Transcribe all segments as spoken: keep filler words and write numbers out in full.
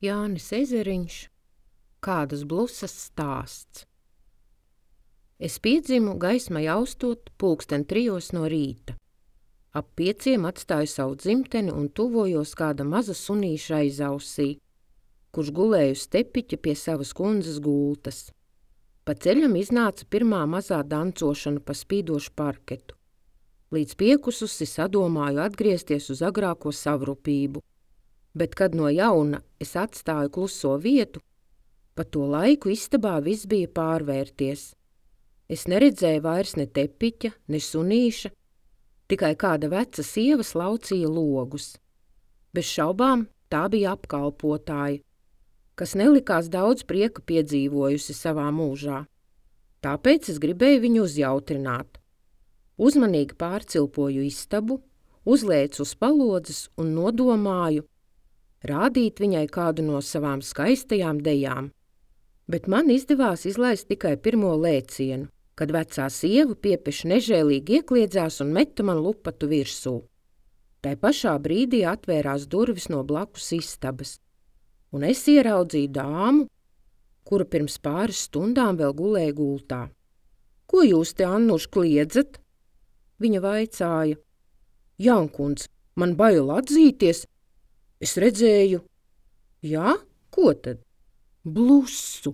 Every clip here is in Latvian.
Jānis Ezeriņš, kādas blusas stāsts. Es piedzimu gaismai austot pulksten trijos no rīta. Ap pieciem atstāju savu dzimteni un tuvojos kāda maza sunīša aizausī, kurš gulēja uz tepiķa pie savas kundzes gultas. Pa ceļam iznāca pirmā mazā dancošana pa spīdošu parketu. Līdz piekususi sadomāju atgriezties uz agrāko savrupību, bet kad no jauna es atstāju kluso vietu, pa to laiku istabā viss bija pārvērties. Es neredzēju vairs ne tepiķa, ne sunīša, tikai kāda veca sieva slaucīja logus. Bez šaubām tā bija apkalpotāja, kas nelikās daudz prieka piedzīvojusi savā mūžā. Tāpēc es gribēju viņu uzjautrināt. Uzmanīgi pārcilpoju istabu, uzlēcu uz palodzes un nodomāju rādīt viņai kādu no savām skaistajām dejām. Bet man izdevās izlaist tikai pirmo lēcienu, kad vecā sieva piepeši nežēlīgi iekliedzās un meta man lupatu virsū. Tai pašā brīdī atvērās durvis no blakus istabas, un es ieraudzīju dāmu, kura pirms pāris stundām vēl gulēja gultā. Ko jūs te, Annuš, kliedzat? Viņa vaicāja. Jankundz, man bail atzīties. Es redzēju. Jā, ko tad? Blusu.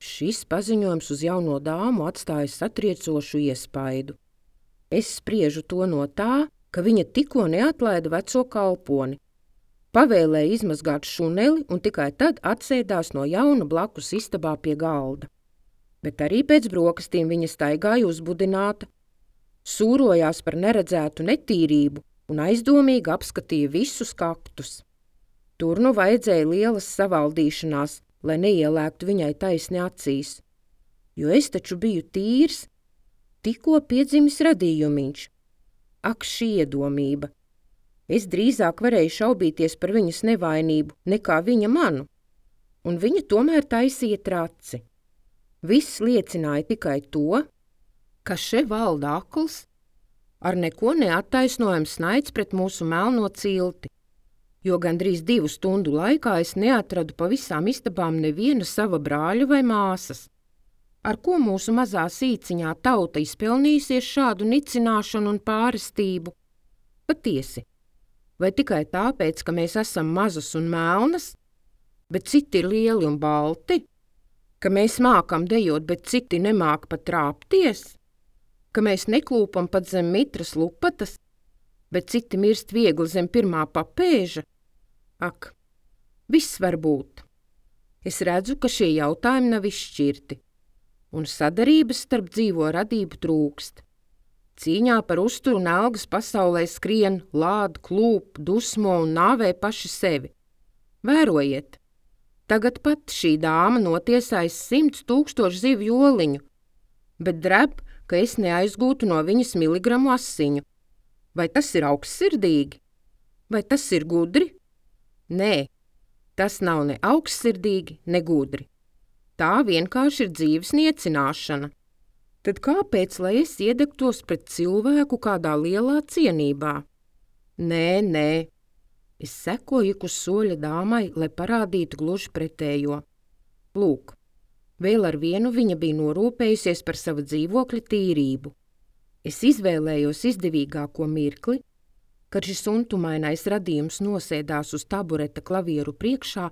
Šis paziņojums uz jauno dāmu atstāja satriecošu iespaidu. Es spriežu to no tā, ka viņa tikko neatlaida veco kalponi. Pavēlēja izmazgāt šuneli un tikai tad atsēdās no jauna blakus istabā pie galda. Bet arī pēc brokastīm viņa staigāja uzbudināta, sūrojās par neredzētu netīrību un aizdomīgi apskatīja visus kaktus. Tur nu vajadzēja lielas savaldīšanās, lai neielēktu viņai taisni acīs, jo es taču biju tīrs, tikko piedzimis radījumiņš. Ak, šī iedomība! Es drīzāk varēju šaubīties par viņas nevainību nekā viņa manu, un viņa tomēr taisīja traci. Viss liecināja tikai to, ka še valda akls, ar neko neattaisnojams naids pret mūsu melno cilti, jo gandrīz divu stundu laikā es neatradu pa visām istabām neviena sava brāļa vai māsas. Ar ko mūsu mazā sīciņā tauta izpelnīsies šādu nicināšanu un pārestību? Patiesi, vai tikai tāpēc, ka mēs esam mazas un melnas, bet citi ir lieli un balti? Ka mēs mākam dejot, bet citi nemāk pat trāpties? Ka mēs neklūpam pat zem mitras lupatas, bet citi mirst viegli zem pirmā papēža? Ak, viss var būt. Es redzu, ka šie jautājumi nav izšķirti, un sadarības starp dzīvo radību trūkst. Cīņā par uzturu un algas pasaulē skrien, lād, klūp, dusmo un nāvē paši sevi. Vērojiet, tagad pat šī dāma notiesājas simts tūkstošu zivju oliņu, bet dreb, ka es neaizgūtu no viņas miligramu asiņu. Vai tas ir augstsirdīgi? Vai tas ir gudri? Nē, tas nav ne augstsirdīgi, ne gudri. Tā vienkārši ir dzīves niecināšana. Tad kāpēc, lai es iedegtos pret cilvēku kādā lielā cienībā? Nē, nē. Es sekoju ik uz soļa dāmai, lai parādītu gluži pretējo. Lūk, vēl ar vienu viņa bija norūpējusies par savu dzīvokļa tīrību. Es izvēlējos izdevīgāko mirkli, kad šis untumainais radījums nosēdās uz tabureta klavieru priekšā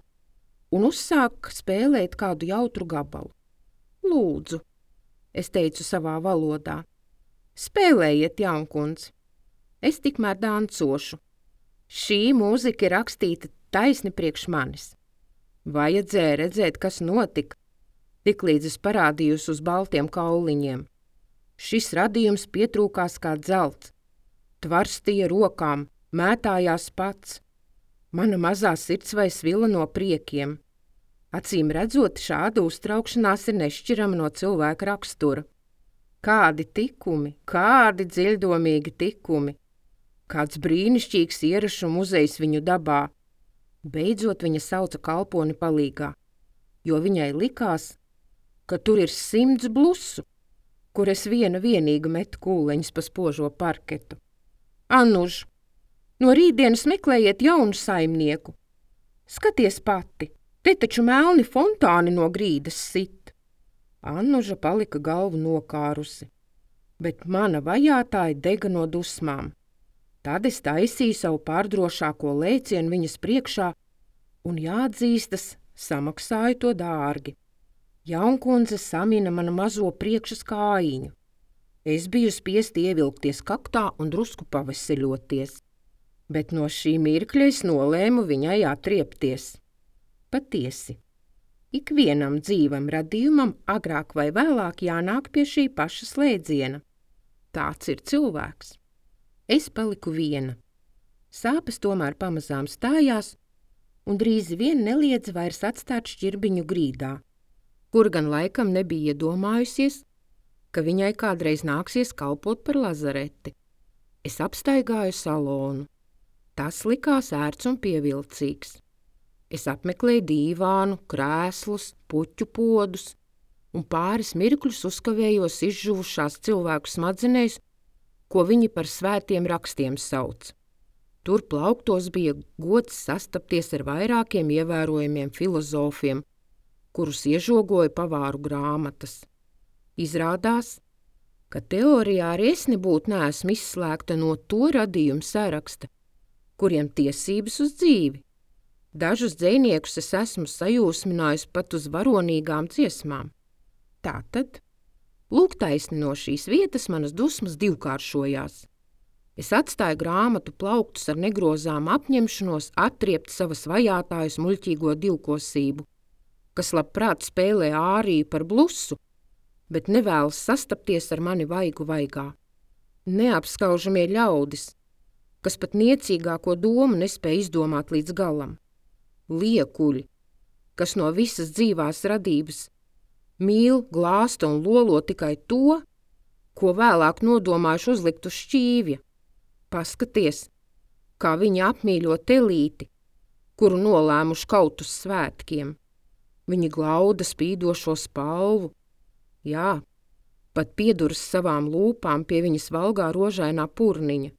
un uzsāk spēlēt kādu jautru gabalu. Lūdzu, es teicu savā valodā, spēlējiet, jaunkundz, es tikmēr dancošu. Šī mūzika ir rakstīta taisni priekš manis. Vajadzēja redzēt, kas notika, tiklīdz es parādījos uz baltiem kauliņiem. Šis radījums pietrūkās kā dzelts, tvarstīja rokām, mētājās pats. Mana mazā sirds vai svila no priekiem. Acīm redzot, šāda uztraukšanās ir nešķirama no cilvēka rakstura. Kādi tikumi, kādi dziļdomīgi tikumi, kāds brīnišķīgs ierašu muzejs viņu dabā. Beidzot viņa sauca kalponi palīgā, jo viņai likās, ka tur ir simts blusu, kur es viena vienīga metu kūleņus pa spožo parketu. Annuž, no rītdienas meklējiet jaunu saimnieku. Skaties pati, te taču melni fontāni no grīdas sit. Annuža palika galvu nokārusi, bet mana vajātāja dega no dusmām. Tad es taisīju savu pārdrošāko lēcienu viņas priekšā un, jāatzīstas, samaksāju to dārgi. Jaunkundze samina manu mazo priekšas kājiņu. Es biju spiesti ievilkties kaktā un drusku paveseļoties, bet no šī mirkļa es nolēmu viņai atriepties. Patiesi, ikvienam dzīvam radījumam agrāk vai vēlāk jānāk pie šī paša slēdziena. Tāds ir cilvēks. Es paliku viena. Sāpes tomēr pamazām stājās, un drīz vien neliedza vairs atstāt šķirbiņu grīdā, kur gan laikam nebija iedomājusies, ka viņai kādreiz nāksies kalpot par lazareti. Es apstaigāju salonu. Tas likās ērts un pievilcīgs. Es apmeklēju dīvānu, krēslus, puķu podus un pāris mirkļus uzkavējos izžuvušās cilvēku smadzenēs, ko viņi par svētiem rakstiem sauc. Tur plauktos bija gods sastapties ar vairākiem ievērojamiem filozofiem, kurus iežogoja pavāru grāmatas. Izrādās, ka teorijā arī es nebūtu neesmu izslēgta no to radījumu saraksta, kuriem tiesības uz dzīvi. Dažus dzejniekus es esmu sajūsminājusi pat uz varonīgām dziesmām. Tātad, lūk taisni no šīs vietas manas dusmas divkāršojās. Es atstāju grāmatu plauktus ar negrozām apņemšanos atriept savas vajātājas muļķīgo divkosību, kas labprāt spēlē āriju par blusu, bet nevēlas sastapties ar mani vaigu vaigā. Neapskaužamie ļaudis, kas pat niecīgāko domu nespēja izdomāt līdz galam. Liekuļi, kas no visas dzīvās radības mīl, glāsta un lolo tikai to, ko vēlāk nodomājuši uzlikt uz šķīvja. Paskaties, kā viņi apmīļo telīti, kuru nolēmuši kaut uz svētkiem. Viņi glauda spīdošo spalvu. Jā, pat pieduras savām lūpām pie viņas valgā rožainā purniņa.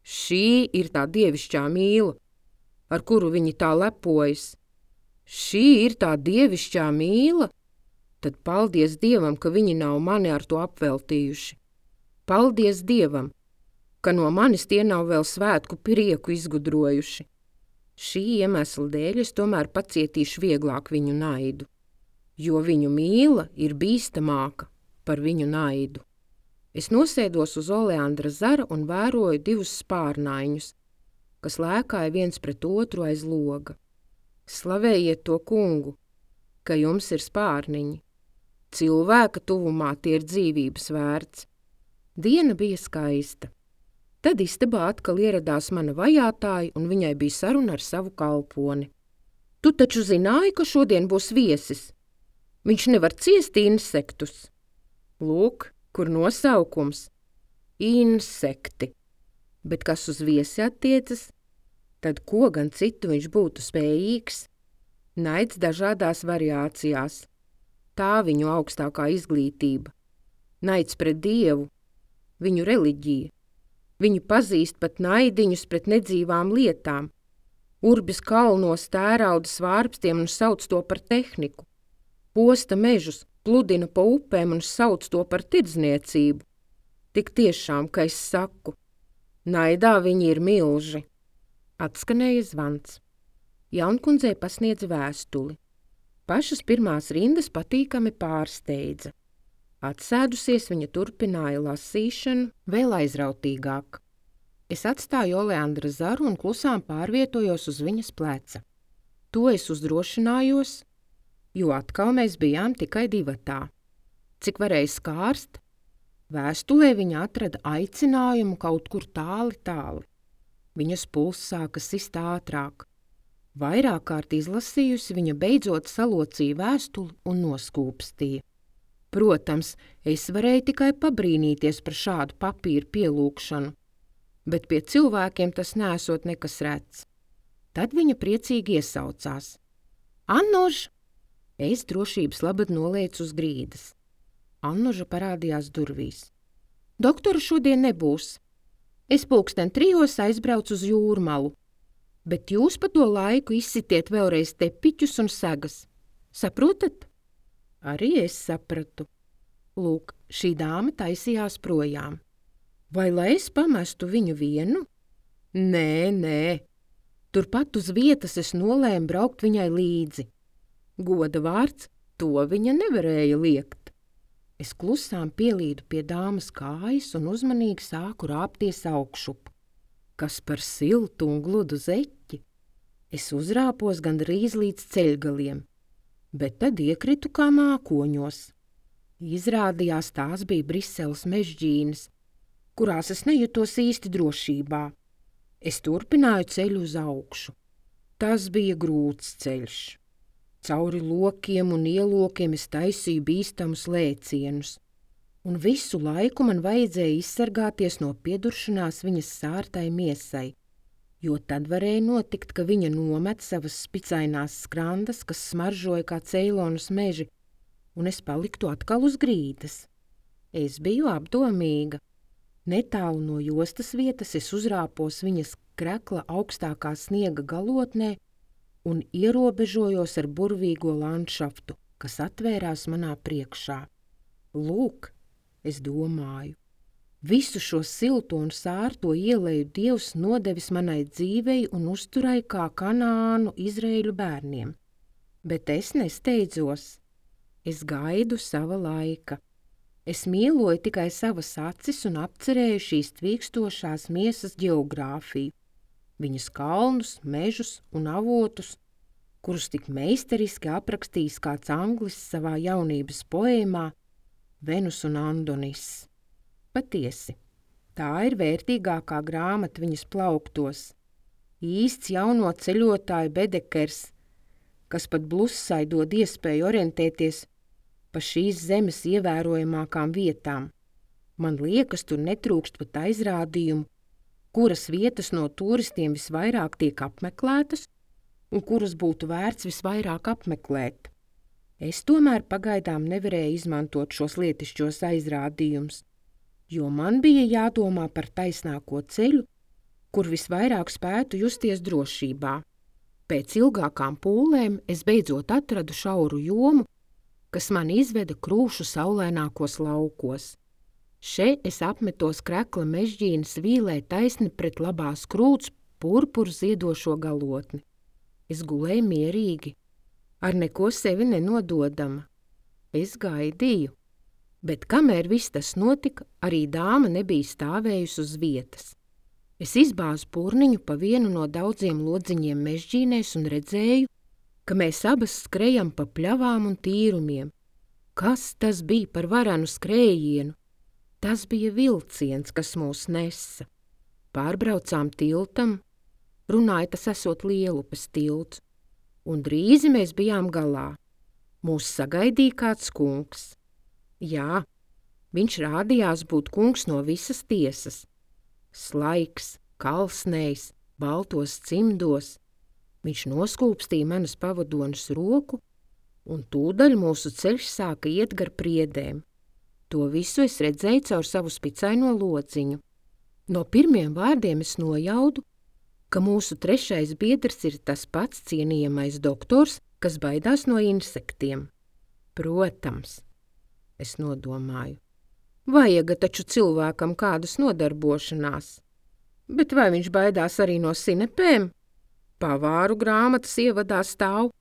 Šī ir tā dievišķā mīla, ar kuru viņi tā lepojas. Šī ir tā dievišķā mīla? Tad paldies Dievam, ka viņi nav mani ar to apveltījuši. Paldies Dievam, ka no manis tie nav vēl svētku prieku izgudrojuši. Šī iemesla dēļ es tomēr pacietīšu vieglāk viņu naidu, jo viņu mīla ir bīstamāka par viņu naidu. Es nosēdos uz oleandra zara un vēroju divus spārnaiņus, kas lēkāja viens pret otru aiz loga. Slavējiet to kungu, ka jums ir spārniņi. Cilvēka tuvumā tie ir dzīvības vērts. Diena bija skaista. Tad istabā atkal ieradās mana vajātāja, un viņai bija saruna ar savu kalponi. Tu taču zināji, ka šodien būs viesis? Viņš nevar ciest insektus. Lūk, kur nosaukums. Insekti. Bet kas uz viesi attiecas, tad ko gan citu viņš būtu spējīgs? Naids dažādās variācijās. Tā viņu augstākā izglītība. Naids pret Dievu, viņu reliģija. Viņu pazīst pat naidiņus pret nedzīvām lietām. Urbis kalnos tērauda svārpstiem un sauc to par tehniku. Posta mežus, pludina pa upēm un sauc to par tirdzniecību. Tik tiešām, ka es saku, naidā viņi ir milži. Atskanēja zvans. Jaunkundzei pasniedz vēstuli. Pašas pirmās rindas patīkami pārsteidza. Atsēdusies, viņa turpināja lasīšanu vēl aizrautīgāk. Es atstāju oleandra zaru un klusām pārvietojos uz viņas pleca. To es uzdrošinājos, jo atkal mēs bijām tikai divatā. Cik varēja skārst, vēstulē viņa atrada aicinājumu kaut kur tāli tāli. Viņas pulss sāka sist ātrāk. Vairāk kārt izlasījusi, viņa beidzot salocīja vēstuli un noskūpstīja. Protams, es varēju tikai pabrīnīties par šādu papīru pielūgšanu, bet pie cilvēkiem tas nesot nekas rets. Tad viņa priecīgi iesaucās. Annuž! Es drošības labad noliecu uz grīdas. Annuža parādījās durvīs. Doktora šodien nebūs. Es pulksten trijos aizbraucu uz Jūrmalu. Bet jūs pa to laiku izsitiet vēlreiz tepiķus un segas. Saprotat? Arī es sapratu. Lūk, šī dāma taisījās projām. Vai lai es pamestu viņu vienu? Nē, nē. Turpat uz vietas es nolēmu braukt viņai līdzi. Goda vārds, to viņa nevarēja liekt. Es klusām pielīdu pie dāmas kājas un uzmanīgi sāku rāpties augšup. Kas par siltu un gludu zeķi? Es uzrāpos gandrīz līdz ceļgaliem, bet tad iekritu kā mākoņos. Izrādījās, tās bija Briseles mežģīnes, kurās es nejutos īsti drošībā. Es turpināju ceļu uz augšu. Tas bija grūts ceļš. Cauri lokiem un ielokiem es taisīju bīstamus lēcienus, un visu laiku man vajadzēja izsargāties no pieduršanās viņas sārtai miesai, jo tad varēja notikt, ka viņa nomet savas spicainās skrandas, kas smaržoja kā Ceilonas meži, un es paliktu atkal uz grīdas. Es biju apdomīga. Netālu no jostas vietas es uzrāpos viņas krekla augstākā sniega galotnē un ierobežojos ar burvīgo landšaftu, kas atvērās manā priekšā. Lūk, es domāju, visu šo silto un sārto ieleju Dievs nodevis manai dzīvei un uzturai kā Kanānu Izraēļu bērniem. Bet es nesteidzos. Es gaidu sava laika. Es mīloju tikai savas acis un apcerēju šīs tvīkstošās miesas ģeogrāfiju, viņas kalnus, mežus un avotus, kurus tik meistariski aprakstījis kāds anglis savā jaunības poēmā Venus un Andonis. Patiesi, tā ir vērtīgākā grāmata viņas plauktos, īsts jauno ceļotāju bedekers, kas pat blusai dod iespēju orientēties pa šīs zemes ievērojamākām vietām. Man liekas, tur netrūkst pat aizrādījumu, kuras vietas no turistiem visvairāk tiek apmeklētas un kuras būtu vērts visvairāk apmeklēt. Es tomēr pagaidām nevarēju izmantot šos lietišķos aizrādījumus, jo man bija jādomā par taisnāko ceļu, kur visvairāk spētu justies drošībā. Pēc ilgākām pūlēm es beidzot atradu šauru jomu, kas man izveda krūšu saulēnākos laukos. Še es apmetos krekla mežģīnas vīlē taisni pret labās krūts purpuru ziedošo galotni. Es gulēju mierīgi, ar neko sevi nenododama. Es gaidīju, bet kamēr viss tas notika, arī dāma nebija stāvējusi uz vietas. Es izbāzu purniņu pa vienu no daudziem lodziņiem mežģīnēs un redzēju, ka mēs abas skrejam pa pļavām un tīrumiem. Kas tas bija par varenu skrējienu? Tas bija vilciens, kas mūs nesa. Pārbraucām tiltam, runāja tas esot Lielupes tilts, un drīzi mēs bijām galā. Mūs sagaidīja kāds kungs. Jā, viņš rādījās būt kungs no visas tiesas. Slaiks, kalsnējs, baltos cimdos. Viņš noskūpstīja manas pavadonas roku, un tūdaļ mūsu ceļš sāka iet gar priedēm. To visu es redzēju caur savu spicaino lociņu. No pirmiem vārdiem es nojaudu, ka mūsu trešais biedrs ir tas pats cienījamais doktors, kas baidās no insektiem. Protams, es nodomāju, vajaga taču cilvēkam kādas nodarbošanās. Bet vai viņš baidās arī no sinepēm? Pavāru grāmatas ievadā stāv,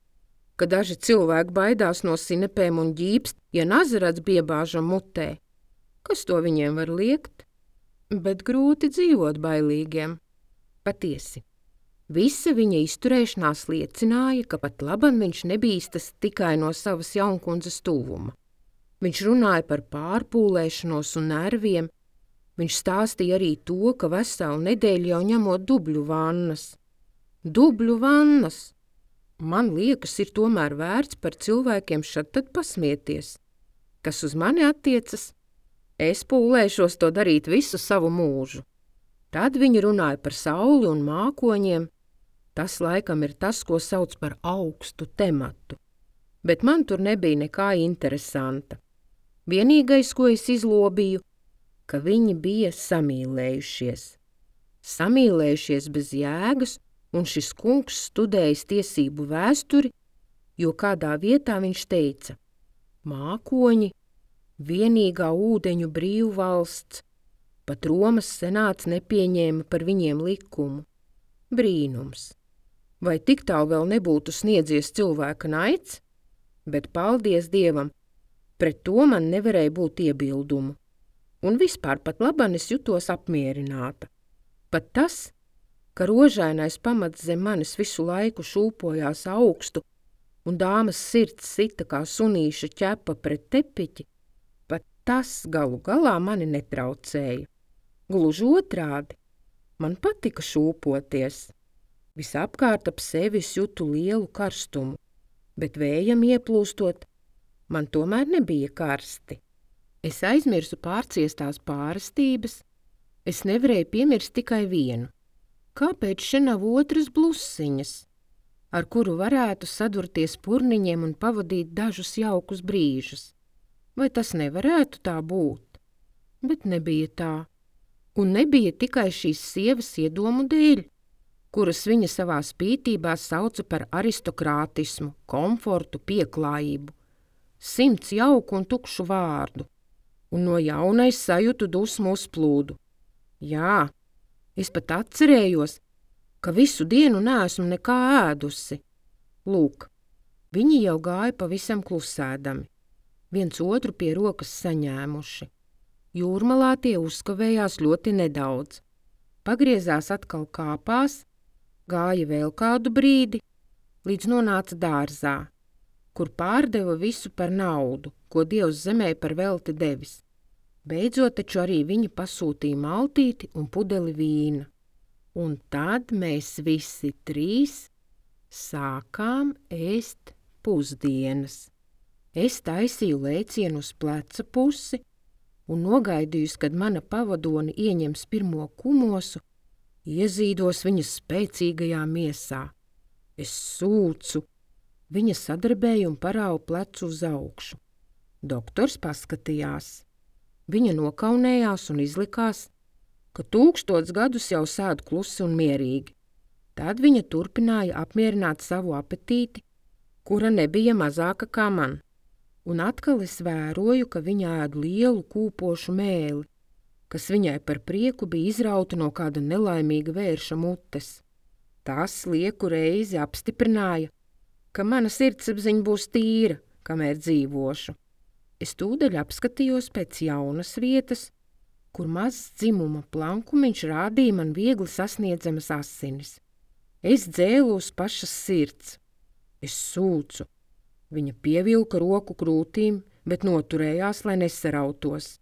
ka daži cilvēki baidās no sinepēm un ģīpst, ja nazarats biebāžam mutē. Kas to viņiem var liekt? Bet grūti dzīvot bailīgiem. Patiesi, visa viņa izturēšanās liecināja, ka pat laban viņš nebīstas tikai no savas jaunkundzes tuvuma. Viņš runāja par pārpūlēšanos un nerviem. Viņš stāstīja arī to, ka veselu nedēļu jau ņemot dubļu vannas. Dubļu vannas! Man liekas, ir tomēr vērts par cilvēkiem šad tad pasmieties. Kas uz mani attiecas, es pūlēšos to darīt visu savu mūžu. Tad viņi runāja par sauli un mākoņiem. Tas laikam ir tas, ko sauc par augstu tematu. Bet man tur nebija nekā interesanta. Vienīgais, ko es izlobīju, ka viņi bija samīlējušies. Samīlējušies bez jēgas un šis kungs studējis tiesību vēsturi, jo kādā vietā viņš teica: mākoņi, vienīgā ūdeņu brīvvalsts, pat Romas senāts nepieņēma par viņiem likumu. Brīnums! Vai tik tālu vēl nebūtu sniedzies cilvēka naids? Bet paldies Dievam, pret to man nevarēja būt iebildumu. Un vispār pat laban es jutos apmierināta. Pat tas, ka rožainais pamats zem manis visu laiku šūpojās augstu un dāmas sirds sita kā sunīša ķepa pret tepiķi, pat tas galu galā mani netraucēja. Gluži otrādi, man patika šūpoties. Visapkārt ap sevis jutu lielu karstumu, bet vējam ieplūstot, man tomēr nebija karsti. Es aizmirsu pārciestās pārastības, es nevarēju piemirst tikai vienu. Kāpēc še nav otras blusiņas, ar kuru varētu sadurties purniņiem un pavadīt dažus jaukus brīžus? Vai tas nevarētu tā būt? Bet nebija tā. Un nebija tikai šīs sievas iedomu dēļ, kuras viņa savā spītībā sauca par aristokrātismu, komfortu, pieklājību. Simts jauku un tukšu vārdu, un no jauna es sajūtu dusmu uzplūdu. Jā, es pat atcerējos, ka visu dienu neesmu nekā ēdusi. Lūk, viņi jau gāja pavisam klusēdami, viens otru pie rokas saņēmuši. Jūrmalā tie uzkavējās ļoti nedaudz. Pagriezās atkal kāpās, gāja vēl kādu brīdi, līdz nonāca dārzā, kur pārdeva visu par naudu, ko Dievs zemē par velti devis. Beidzot taču arī viņi pasūtīja maltīti un pudeli vīna. Un tad mēs visi trīs sākām ēst pusdienas. Es taisīju lēcienu uz pleca pusi un nogaidījusi, kad mana pavadoni ieņems pirmo kumosu, iezīdos viņas spēcīgajā miesā. Es sūcu, viņa sadarbēja un parāva plecu uz augšu. Doktors paskatījās. Viņa nokaunējās un izlikās, ka tūkstots gadus jau sēd klusi un mierīgi. Tad viņa turpināja apmierināt savu apetīti, kura nebija mazāka kā man. Un atkal es vēroju, ka viņa ēd lielu kūpošu mēli, kas viņai par prieku bija izrauta no kāda nelaimīga vērša mutes. Tas lieku reizi apstiprināja, ka mana sirdsapziņa būs tīra, kamēr dzīvošu. Es tūdaļ apskatījos pēc jaunas vietas, kur mazs dzimuma plankumiņš rādīja man viegli sasniedzamas asinis. Es dzēlu uz pašas sirds. Es sūcu. Viņa pievilka roku krūtīm, bet noturējās, lai nesarautos.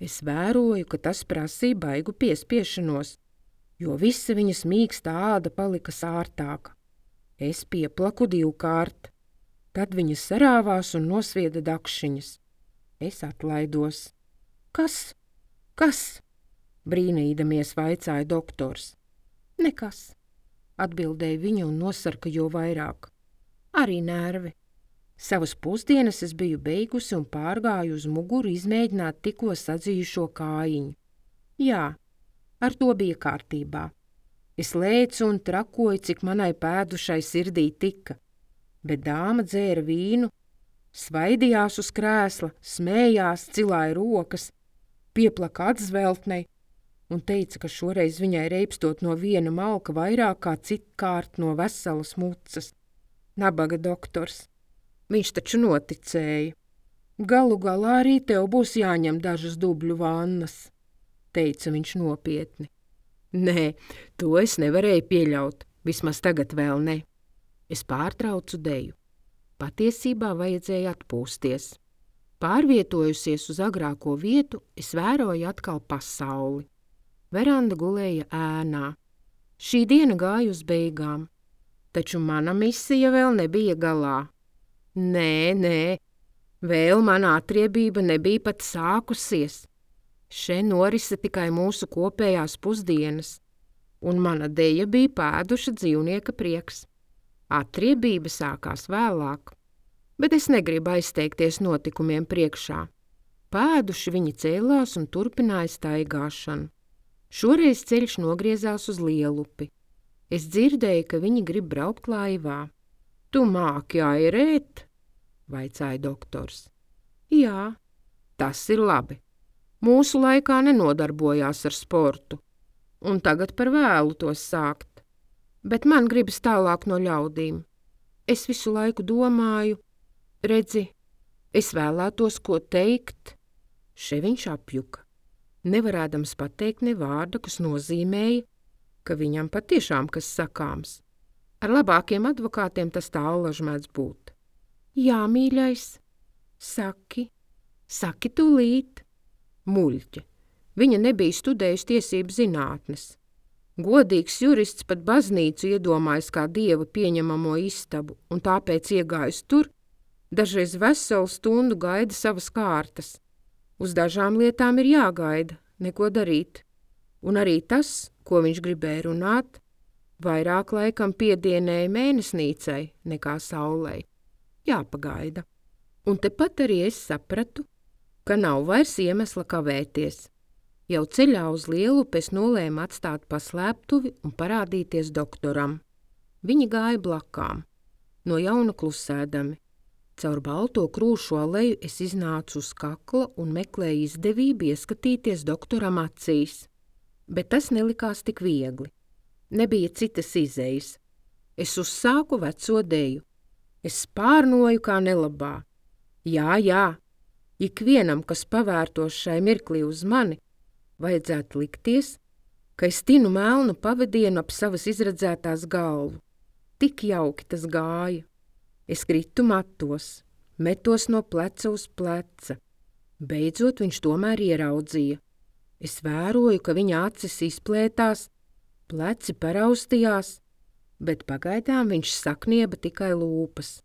Es vēroju, ka tas prasīja baigu piespiešanos, jo visa viņas mīkstā āda palika sārtāka. Es pieplaku divkārt. Tad viņa sarāvās un nosvieda dakšiņas. Es atlaidos. Kas? Kas? Brīnīdamies vaicāja doktors. Nekas, atbildēja viņa un nosarka jo vairāk. Arī nervi. Savas pusdienas es biju beigusi un pārgāju uz muguru izmēģināt tikko sadzījušo kājiņu. Jā, ar to bija kārtībā. Es lēcu un trakoju, cik manai pēdušai sirdī tika, bet dāma dzēra vīnu, svaidījās uz krēsla, smējās, cilāja rokas, pieplaka atzveltnei un teica, ka šoreiz viņai reibstot no viena malka vairāk kā citkārt no veselas mucas. Nabaga doktors. Viņš taču noticēja. Galu galā arī tev būs jāņem dažas dubļu vannas, teica viņš nopietni. Nē, to es nevarēju pieļaut, vismaz tagad vēl ne. Es pārtraucu deju. Patiesībā vajadzēja atpūsties. Pārvietojusies uz agrāko vietu, es vēroju atkal pasauli. Veranda gulēja ēnā. Šī diena gāja uz beigām, taču mana misija vēl nebija galā. Nē, nē, vēl mana atriebība nebija pat sākusies. Še norise tikai mūsu kopējās pusdienas, un mana deja bija pēduša dzīvnieka prieks. Atriebība sākās vēlāk, bet es negribu aizteikties notikumiem priekšā. Pēduši viņi cēlās un turpināja staigāšanu. Šoreiz ceļš nogriezās uz Lielupi. Es dzirdēju, ka viņi grib braukt laivā. Tu māki airēt? Vaicāja doktors. Jā, tas ir labi. Mūsu laikā nenodarbojās ar sportu, un tagad par vēlu to sākt. Bet man gribas tālāk no ļaudīm. Es visu laiku domāju, redzi, es vēlētos ko teikt. Še viņš apjuka, nevarēdams pateikt ne vārda, kas nozīmēja, ka viņam patiešām kas sakāms. Ar labākiem advokātiem tas tā allaž mēdz būt. Jā, mīļais, saki, saki tūlīt. Muļķe, viņa nebija studējusi tiesību zinātnes. Godīgs jurists pat baznīcu iedomājas kā dieva pieņemamo istabu, un tāpēc iegājis tur, dažreiz veselu stundu gaida savas kārtas. Uz dažām lietām ir jāgaida, neko darīt. Un arī tas, ko viņš gribēja runāt, vairāk laikam piedienēja mēnesnīcai nekā saulei. Jāpagaida. Un tepat arī es sapratu, ka nav vairs iemesla kavēties. Jau ceļā uz Lielupi es nolēmu atstāt paslēptuvi un parādīties doktoram. Viņi gāja blakām, no jauna klusēdami. Caur balto krūšu aleju es iznācu uz kakla un meklēju izdevību ieskatīties doktoram acīs. Bet tas nelikās tik viegli. Nebija citas izejas. Es uzsāku veco deju. Es spārnoju kā nelabā. Jā, jā, ikvienam, kas pavērtos šai mirklī uz mani, vajadzētu likties, ka es tinu melnu pavadienu ap savas izredzētās galvu. Tik jauki tas gāja. Es kritu matos, metos no pleca uz pleca. Beidzot viņš tomēr ieraudzīja. Es vēroju, ka viņa acis izplētās, pleci paraustījās, bet pagaidām viņš saknieba tikai lūpas.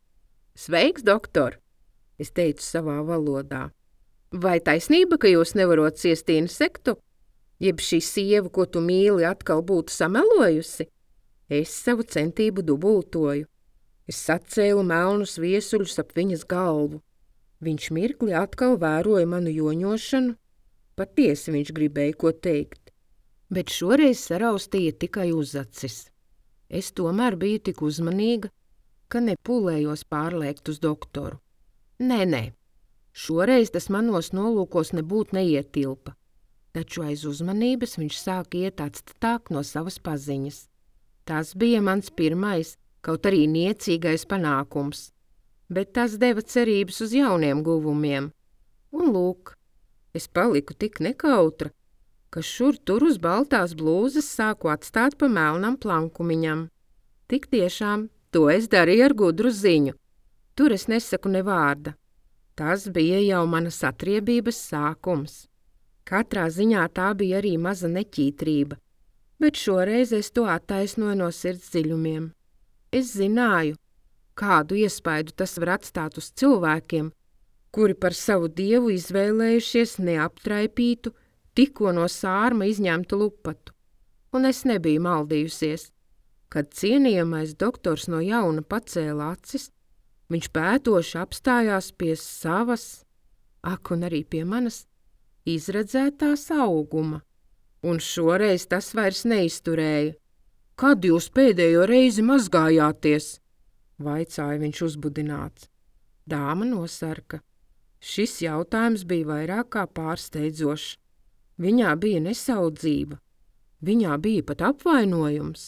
Sveiks, doktor, es teicu savā valodā. Vai taisnība, ka jūs nevarot ciestīnu sektu? Jeb šī sieva, ko tu mīli, atkal būtu samelojusi? Es savu centību dubultoju. Es sacēlu melnus viesuļus ap viņas galvu. Viņš mirkli atkal vēroja manu joņošanu. Patiesi viņš gribēja ko teikt, bet šoreiz saraustīja tikai uzacis. Es tomēr biju tik uzmanīga, ka nepūlējos pārliekt uz doktoru. Nē, nē, šoreiz tas manos nolūkos nebūt neietilpa, taču aiz uzmanības viņš sāk iet atstatāk no savas paziņas. Tas bija mans pirmais, kaut arī niecīgais panākums, bet tas deva cerības uz jauniem guvumiem. Un lūk, es paliku tik nekautra, ka šur tur uz baltās blūzes sāku atstāt pa melnam plankumiņam. Tik tiešām, to es darīju ar gudru ziņu. Tur es nesaku ne vārda. Tas bija jau manas atriebības sākums. Katrā ziņā tā bija arī maza neķītrība, bet šoreiz es to attaisnoju no sirds dziļumiem. Es zināju, kādu iespaidu tas var atstāt uz cilvēkiem, kuri par savu dievu izvēlējušies neaptraipītu, tikko no sārma izņemtu lupatu. Un es nebiju maldījusies. Kad cienījamais doktors no jauna pacēla acis, viņš pētoši apstājās pie savas, ak un arī pie manas, izredzētās auguma. Un šoreiz tas vairs neizturēja. Kad jūs pēdējo reizi mazgājāties? Vaicāja viņš uzbudināts. Dāma nosarka. Šis jautājums bija vairāk kā pārsteidzošs. Viņā bija nesaudzība. Viņā bija pat apvainojums.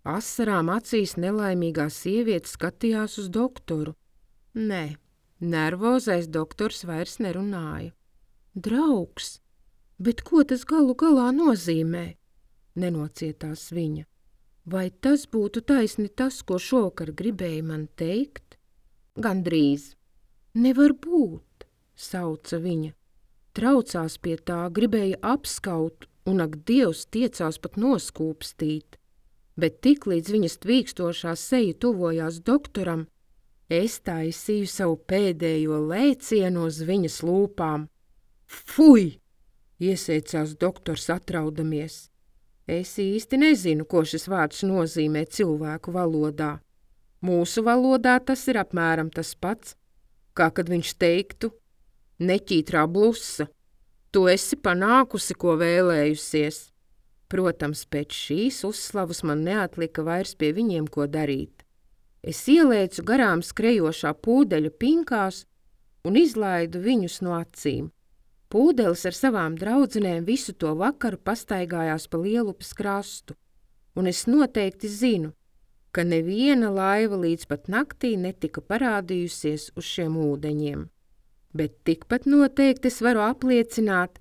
Asarām acīs nelaimīgā sieviete skatījās uz doktoru. Nē, nervozais doktors vairs nerunāja. Draugs, bet ko tas galu galā nozīmē? Nenocietās viņa. Vai tas būtu taisni tas, ko šovakar gribēja man teikt? Gandrīz. Nevar būt, sauca viņa. Traucās pie tā, gribēja apskaut, un ak Dievs tiecās pat noskūpstīt. Bet tiklīdz viņas tvīkstošā seja tuvojās doktoram, es taisīju savu pēdējo lēcienu uz viņas lūpām. Fuj! Iesēcās doktors atraudamies. Es īsti nezinu, ko šis vārds nozīmē cilvēku valodā. Mūsu valodā tas ir apmēram tas pats, kā kad viņš teiktu, neķītrā blusa, tu esi panākusi, ko vēlējusies. Protams, pēc šīs uzslavas man neatlika vairs pie viņiem ko darīt. Es ielēcu garām skrejošā pūdeļa pinkās un izlaidu viņus no acīm. Pūdelis ar savām draudzenēm visu to vakaru pastaigājās pa Lielupes krastu, un es noteikti zinu, ka neviena laiva līdz pat naktī netika parādījusies uz šiem ūdeņiem. Bet tikpat noteikti es varu apliecināt,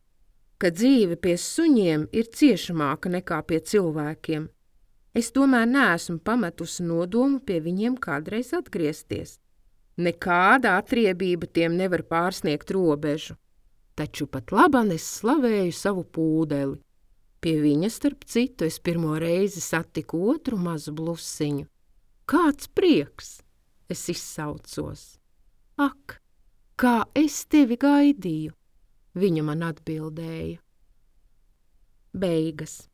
ka dzīve pie suņiem ir ciešamāka nekā pie cilvēkiem. Es tomēr neesmu pametusi nodomu pie viņiem kādreiz atgriezties. Nekāda atriebība tiem nevar pārsniegt robežu. Taču pat laban es slavēju savu pūdeli. Pie viņa, starp citu, es pirmo reizi satiku otru mazu blusiņu. Kāds prieks! Es izsaucos. Ak, kā es tevi gaidīju! Viņa man atbildēja. Beigas.